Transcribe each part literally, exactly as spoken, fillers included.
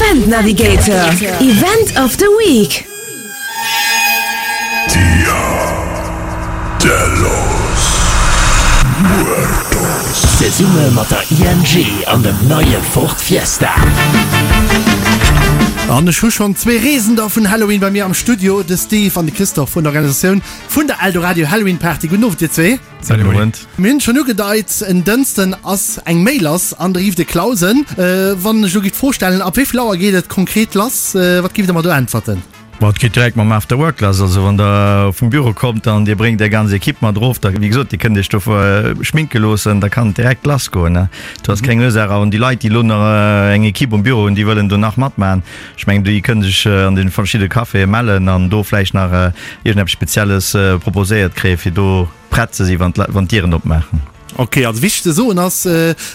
Event Navigator, Event of the Week. Dia de los Muertos. Zesumme mat der I N G an dem neie Ford Fiesta. An ech hu schonn zwee Reesender vun Halloween bei mir am Studio, de Steve an de Christophe vun der Organisatioun vun der Eldoradio Halloween Party. Gudden Owend dir zwee. Salut. Gudden Owend. Mir hunn et schonn ugedeit, en Dënsten ass eng Méi lass an der Rive de Clausen. Wann ech elo géif d'Fro stellen, ab wéi vill Auer geet et konkret lass, wat géift der mer do äntwerten? Ma et geet direkt mam After Work lass. Also wann der vum Büro kommt an dir bréngt är ganz Ekipp mat erof, da wéi gesot, dir kënnt iech do schminke loossen, da kann et direkt lass goen. Do ass keng Ursaach. An déi Leit, déi elo nach eng Ekipp um Büro hunn, déi wëllen do nach matmaachen, ech mengen, déi kënne sech an de verschidde Caféë mellen an do vläicht nach iergendeppes Spezielles proposéiert kréien, fir do prett ze si wann d'Dieren opmaachen. Ok, also wichteg ze soen ass,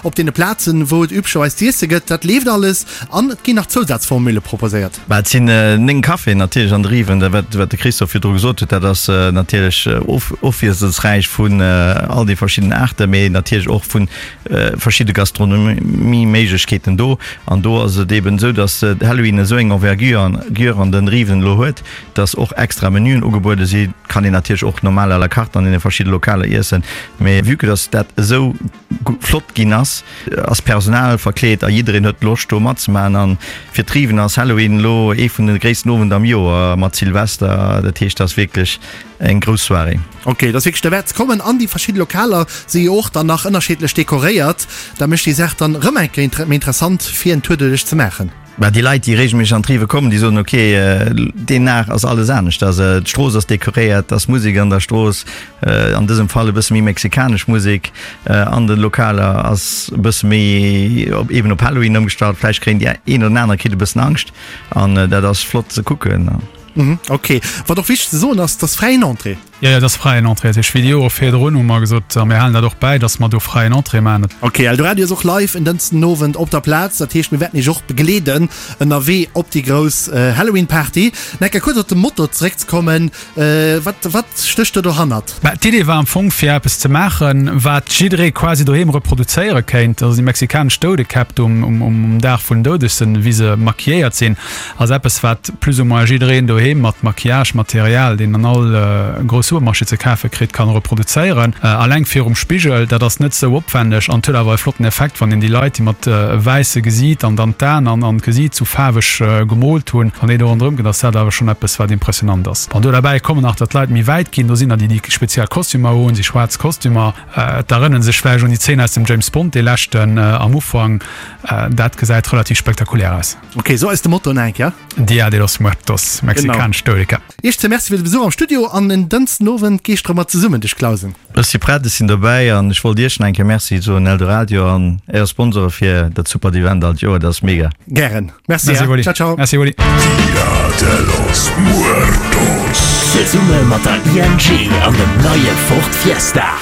op deene Plazen, wou et üblecherweis z'iesse gëtt, dat leeft alles an et ginn nach Zousazformule proposéiert. Bah, et sinn néng Caféen natierlech an de Riven, dat wat wat de Christophe virdru gesot huet, dat ass natierlech ofwiesselsräich vun all de verschiddenen Aarten, mee natierlech och vu verschidde Gastronomie-Méiglechkeeten do. An do ass et eeben esou, datt Halloween esou eng Envergure an de Riven elo huet, datt och extra Menüen ugebuede si. Kann een natierlech och normal à la carte an deene verschidde Lokaler iessen, mee vue que datt dat esou flott ginn ass, ass d'Personal verkleet a jiddereen huet Loscht do matzemaachen. An fir d'Riven ass Halloween elo ee vun de gréissten Owend am Joer mat Silvester. Dat heescht, dat ass wierklech eng grouss Soirée. Ok, dat ass wierklech derwäert ze kommen. An déi verschidde Lokaler si jo och dann nach ënnerschiddlech dekoréiert. Dat mécht déi Saach dann erëm eng Kéier méi interessant fir en Tour doduerch ze maachen. Bah, déi Leit, déi regelméisseg an d'Rive kommen, déi soen, ok, deen Dag ass alles anescht, also d'Strooss ass dekoréiert, et ass Musek an der Strooss, an dësem Fall e bësse méi mexikanesch Musek, an de Lokaler ass e bësse méi op eben op Halloween ëmgestallt, vläicht kréien déi een oder aner kritt e bëssen Angscht an dat ass flott ze kucken. Ok, wat och wichteg ze soen ass, et ass fräien Entrée. Jo, jo, et ass fräien Entrée. Dat heescht, wéi déi Jore virdrun hu mer gesot, a mir halen dat och bäi, dass mer do fräien Entrée maachen. Ok, Eldoradio ass och live en Dënschden Owend op der Plaz. Dat heescht, mir wäerten iech och begleeden ënnerwee op déi grouss Halloween Party. Nach eng Kéier kuerz op de Motto zeréckzekommen, wat, wat stécht do dohannert? Bah, d'Idee war am Fong, fir eppes ze maachen, wat jidderee quasi doheem reproduzéiere kéint. Also déi mexikanesch Doudekäpp do um, um Dag vun den Doudegsen, wéi se maquilléiert sinn, ass eppes, wat plus ou moins jiddereen doheem mat Maquillage-Material, deen an all grouss Supermarché ze kafe kritt, kann reproduzéieren. Alleng virum Spigel, dat ass net sou opwänneg an et huet awer e flotten Effekt, wann een déi Leit, déi mat wäisse Gesiit an dann d'Aen an an d'Gesiit sou faarweg gemoolt hunn, wann déi do ronderëm ginn, ass dat awer schonn eppes, wat impressionant ass. Bon, do derbäi kommen nach, datt d'Leit méi wäit ginn. Do sinn der, déi déi speziell Kostümer hunn, déi schwaarz Kostümer. D'erënnere sech vläicht un déi Zeen aus dem James Bond, dee leschten am Ufank. Dat gesäit relativ spektakulär aus. Ok, sou eis de Motto nach eng Kéier. Dia de los Muertos, mexikanesch Doudekäpp. Iech zwee Merci fir de Besuch am Studio an en Dënschden Owend geescht erëm mat zesummen duerch Clausen. Ech si prett, ech sinn dobäi an ech wollt Iech nach eng Kéier Merci soen, Eldoradio an Är Sponsore fir dat supert Event all d'Joer, dat ass mega. Gären. Merci, Merci Wally. Ciao, ciao. Merci Wally. Dia de los Muertos. Zesumme mat der I N G an dem neie Ford Fiesta.